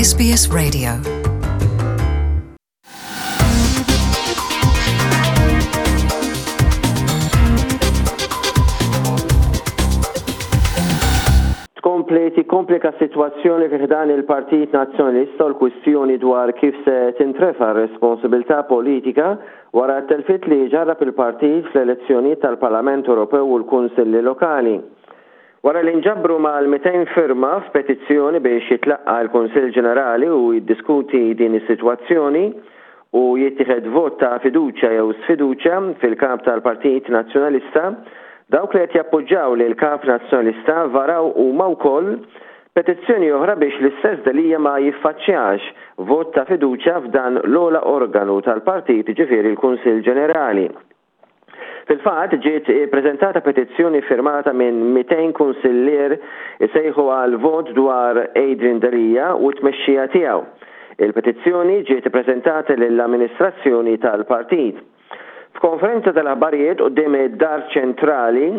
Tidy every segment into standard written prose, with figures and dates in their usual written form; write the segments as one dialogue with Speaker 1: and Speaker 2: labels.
Speaker 1: SBS Radio. Tkompli tikkomplika s-sitwazzjoni fi ħdan il-Partit Nazzjonalista u l-kwistjoni dwar kif se tintrefa' r-responsabilità politika wara t-telfiet li ġarrab il-partit fl-elezzjonijiet tal-Parlament Ewropew u l-Kunsilli Lokali. Wara li nġabru mal-200 firma f'petizzjoni biex jitlaqqa' l-Kunsill Ġenerali u jiddiskuti din is-sitwazzjoni u jittieħed vot ta' fiduċja jew sfiduċja fil-Kap tal-Partit Nazzjonalista, dawk li qed jappoġġaw lill-Kap Nazzjonalista varaw huma wkoll petizzjoni oħra biex l-istess Delia ma jiffaċċjax vot ta' fiduċja f'dan l-ogħla organu tal-partit jiġifieri l-Kunsill Ġenerali. Fil-fatt, ġiet ippreżentata petizzjoni ffirmata minn 200 kunsillier isejħu għal vot dwar Adrian Delia u t-tmexxija tiegħu. Il-petizzjoni ġiet ippreżentata lill-amministrazzjoni tal-partit. F'konferenza tal-aħbarijiet quddiem id-Dar Ċentrali,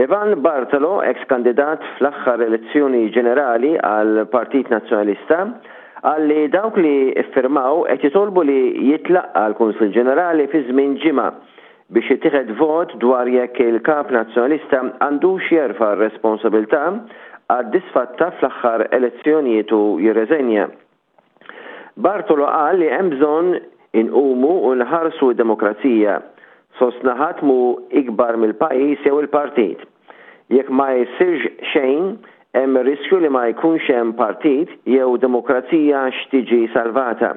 Speaker 1: Ivan Bartolo, eks kandidat fl-aħħar elezzjoni ġenerali għall-Partit Nazzjonalista, qal li dawk li ffirmaw qed jitolbu li jitlaqqa' l-Kunsill Ġenerali fi żmien ġimgħa biex jittieħed vot dwar jekk il-Kap Nazzjonalista għandux jerfa' r-responsabilità għad-disfatta fl-aħħar elezzjonijiet u jirreżenja. Bartolo qal li hemm bżonn inqumu u nħarsu d-demokrazija. Sostna ħadd mhu ikbar mill-pajjiż jew il-partit. Jekk ma jsirx xejn, hemm ir-riskju li ma jkunx hemm partit jew demokrazija x'tiġi salvata.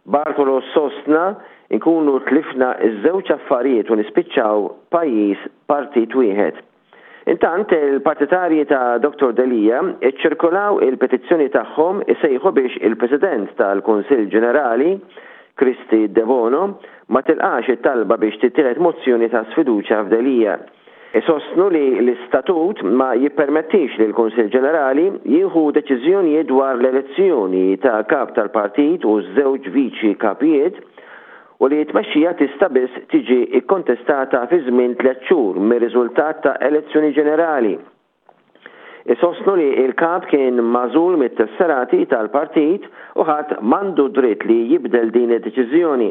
Speaker 1: Bartolo sostna nkunu tlifna ż-żewġ affarijiet u nispiċċaw pajjiż partit wieħed. Intant, il-partitarji ta' Dottor Delia ċċirkolaw il-petizzjoni tagħhom isejħu biex il-President tal-Kunsill Ġenerali, Kristy Debono, ma tilqax it-talba biex tittieħed mozzjoni ta' sfiduċja f'Delia. Isostnu li l-istatut ma jippermettix lill-Kunsill Ġenerali jieħu deċiżjonijiet dwar l-elezzjoni ta' Kap tal-Partit u ż-żewġ Viċi Kapijiet, u li t-tmexxija tista' biss tiġi kkontestata fi żmien tlett xhur mir-riżultat ta' elezzjoni ġenerali. Isostnu li l-Kap kien magħżul mit-tesserati tal-partit u ħadd m'għandu dritt li jibdel din id-deċiżjoni.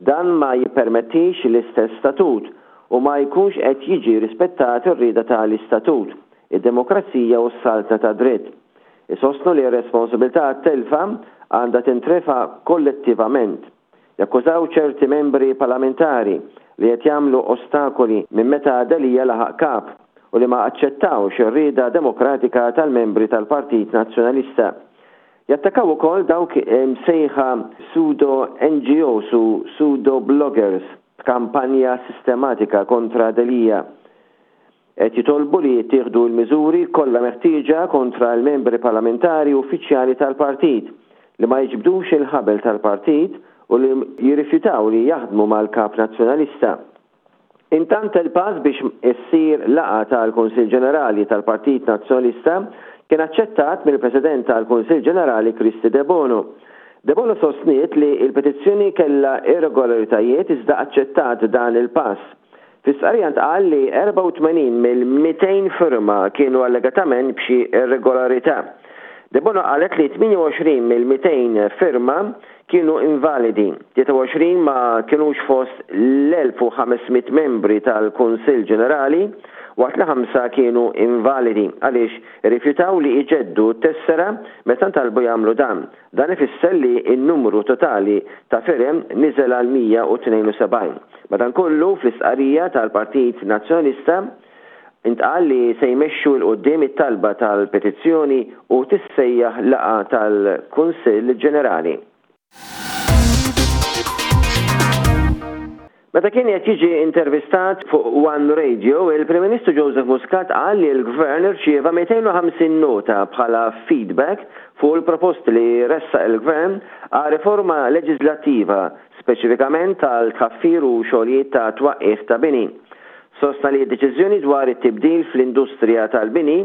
Speaker 1: Dan ma jippermettix l-istess statut u ma jkunx qed jiġi rispettat ir-rieda ta' l-istatut, id-demokrazija u s-saltna tad-dritt. Isostnu li r-responsabilità għat-telfa għandha tintrefa' kollettivament. Jakkużaw ċerti membri parlamentari li qed jagħmlu ostakoli minn meta Delia laħaq Kap u li ma aċċettawx ir-rieda demokratika tal-membri tal-Partit Nazzjonalista. Jattakaw ukoll dawk imsejħa pseudo NGOs u pseudo bloggers b'kampanja sistematika kontra Delia. Qed jitolbu li jittieħdu l-miżuri kollha meħtieġa kontra l-membri parlamentari u uffiċjali tal-partit li ma jiġbdux il-ħabel tal-partit u li jirrifjutaw li jaħdmu mal-Kap Nazzjonalista. Intant il-pass biex issir laqgħa tal-Kunsill Ġenerali tal-Partit Nazzjonalista kien aċċettat mill-President tal-Kunsill Ġenerali Kristy Debono. Debono sostniet li l-petizzjoni kellha irregolaritajiet iżda aċċettat dan il-pass. Fi stqarrija ntqal li 84 mill-200 firma kienu allegatament b'xi irregolarità. Debono qalet li 28 mill-200 firma kienu invalidi, 23 ma kinux fost l-1,500 membri tal-Kunsill Ġenerali waqt li ħamsa kienu invalidi għaliex irrifjutaw li jġeddu t-tessera meta ntalbu jagħmlu dan. Dan ifisser li n-numru totali ta' firem niżel għal 172. Madankollu, fl-istqarrija tal-Partit Nazzjonalista ntqal li se jmexxu 'l quddiem it-talba tal-petizzjoni u tissejjaħ laqgħa tal-Kunsill Ġenerali. Meta kien qed jiġi intervistat fuq One Radio, il-Prim Ministru Joseph Muscat qal li l-Gvern irċieva 250 nota bħala feedback fuq il-proposti li ressaq il-Gvern għal riforma leġiżlattiva, speċifikament għal tħaffir u xogħlijiet ta' twaqqigħ ta' bini. Sostna li d-deċiżjoni dwar it-tibdil fl-industrija tal-bini.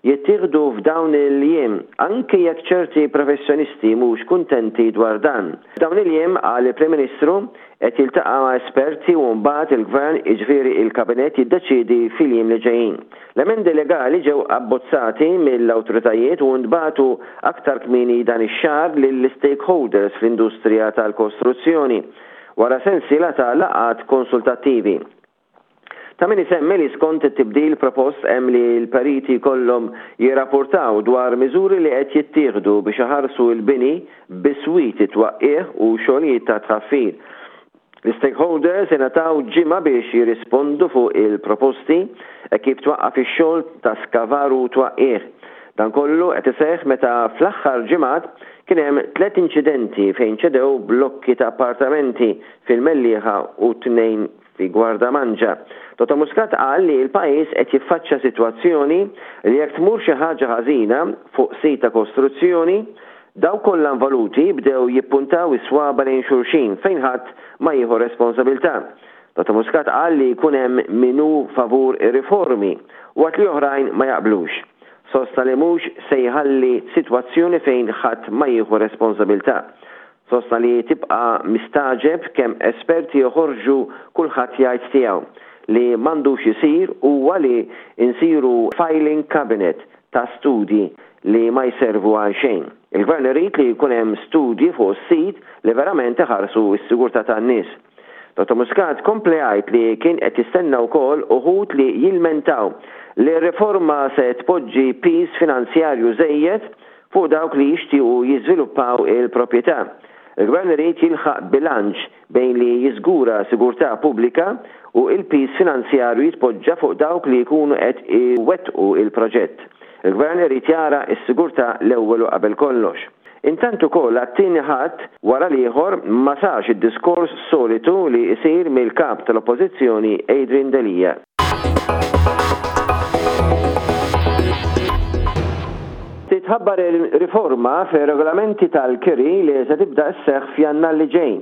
Speaker 1: jittieħdu f'dawn il-jiem, anki jekk ċerti professjonisti mhux kuntenti dwar dan. F'dawn il-jiem, qal il-Prim Ministru, qed jiltaqa' ma' esperti u mbagħad il-Gvern, jiġifieri il-Kabinett jiddeċiedi fil-jiem li ġejjin. L-emendi legali ġew abbozzati mill-awtoritajiet u ntbagħtu aktar kmieni dan ix-xahar lill-istakeholders fl-industrija tal-kostruzzjoni, wara sensiela ta' laqgħat konsultattivi. Ta' min isemmi li skont it-tibdil propost hemm li l-periti jkollhom jirrapportaw dwar miżuri li qed jittieħdu biex iħarsu l-bini biswit it-twaqqigħ u xogħlijiet ta' tħaffir. L-istakeholders ingħataw ġimgħa biex jirrispondu fuq il-proposti hekk kif twaqqaf ix-xogħol ta' skavar u twaqqigħ. Dan kollu qed iseħħ meta fl-aħħar ġimgħat kien hemm tlett inċidenti fejn ċedew blokki ta' appartamenti fil-Mellieħa u tnejn fi Gwardamanġa. Dottor Muscat qal li l-pajjiż qed jiffaċċja sitwazzjoni li jekk tmur xi ħaġa ħażina fuq sit ta' kostruzzjoni, Dawk kollha involuti bdew jippuntaw is-swaba' lejn xulxin fejn ħadd ma jieħu responsabilità. Dottor Muscat qal li jkun hemm min hu favur ir-riformi waqt li oħrajn ma jaqblux. Sostna li mhux se jħalli sitwazzjoni fejn ħadd ma jieħu responsabilità. Sostna li tibqa' mistagħġeb kemm esperti joħorġu kulħadd jgħid tiegħu. Li m'għandux isir huwa li nsiru filing cabinet ta' studji li ma jservu għal xejn. Il-Gvern irid li jkun hemm studji fuq is-sit li verament iħarsu s-sigurtà tan-nies. Dottor Muscat kompla jgħid li kien qed jistenna wkoll uħud li jilmentaw li r-riforma se tpoġġi piż finanzjarju żejjed fuq dawk li jixtiequ jiżviluppaw il-proprjetà. Il-Gvern irid jilħaq bilanċ bejn li jiżgura sigurtà pubblika u l-piż finanzjarju jitpoġġa fuq dawk li jkunu qed iwettqu l-proġett. Il-Gvern irid jara s-sigurtà l-ewwel u qabel kollox. Intant ukoll għat-tieni Ħadd wara l-ieħor ma sarx id-diskors solitu li jsir mill-Kap tal-Oppożizzjoni Adrian Delia. Titħabbar riforma fir-regolamenti tal-kiri li se tibda sseħħ f'Jannar li ġej.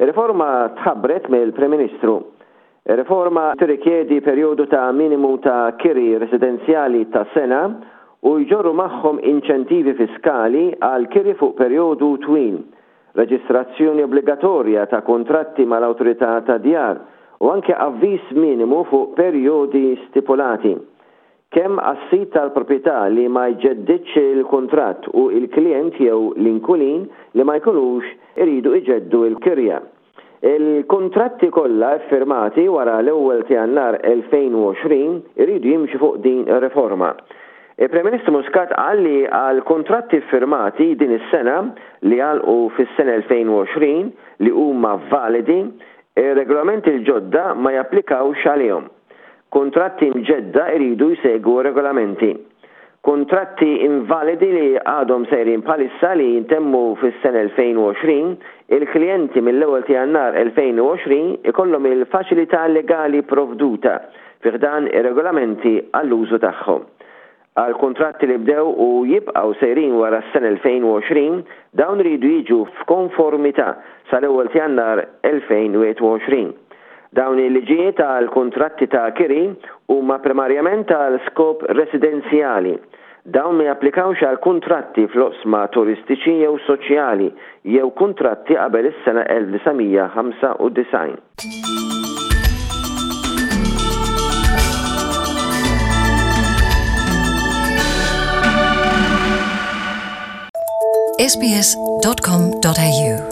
Speaker 1: Ir-riforma tħabbret mill-Prim Ministru. Ir-riforma tirrikjedi perjodu ta' minimu ta' kiri residenzjali ta' sena u jġorru magħhom inċentivi fiskali għal kiri fuq perjodu twil, reġistrazzjoni obbligatorja ta' kuntratti mal-awtorità tad-djar u anke avviż minimu fuq perjodi stipulati. Kemm għas-sid tal-proprjetà li ma jġeddidx il-kuntratt u l-klijent jew l-inkwilin li ma jkunux iridu iġeddu l-kirja. Il-kuntratti kollha ffirmati wara l-ewwel ta' Jannar 2020 iridu jimxu fuq din ir-riforma. Il-Prim Ministru Muscat qal li għal kuntratti ffirmati din is-sena li għalqu fis-sena 2020 li huma validi, ir-regolamenti l-ġodda ma japplikawx għalihom. Kuntratti mġedda jridu jsegwu r-regolamenti. Kuntratti invalidi li għadhom sejrin bħalissa li jintemmu fis-sena 2020, il-klijenti mill-ewwel ta' Jannar 2020 ikollhom il-faċilità legali provduta fi ħdan ir-regolamenti għall-użu tagħhom. Għal kuntratti li bdew u jibqgħu sejrin wara s-sena 2020, dawn iridu jiġu f'konformità sal-ewwel ta' Jannar 2021. Dawn il-liġijiet għal kuntratti ta' kiri huma primarjament għal skop residenzjali. Dawn ma japplikawx għal kuntratti fl-oqsma turistiċi jew soċjali jew kuntratti qabel is-sena 1995.
Speaker 2: sbs.com.au.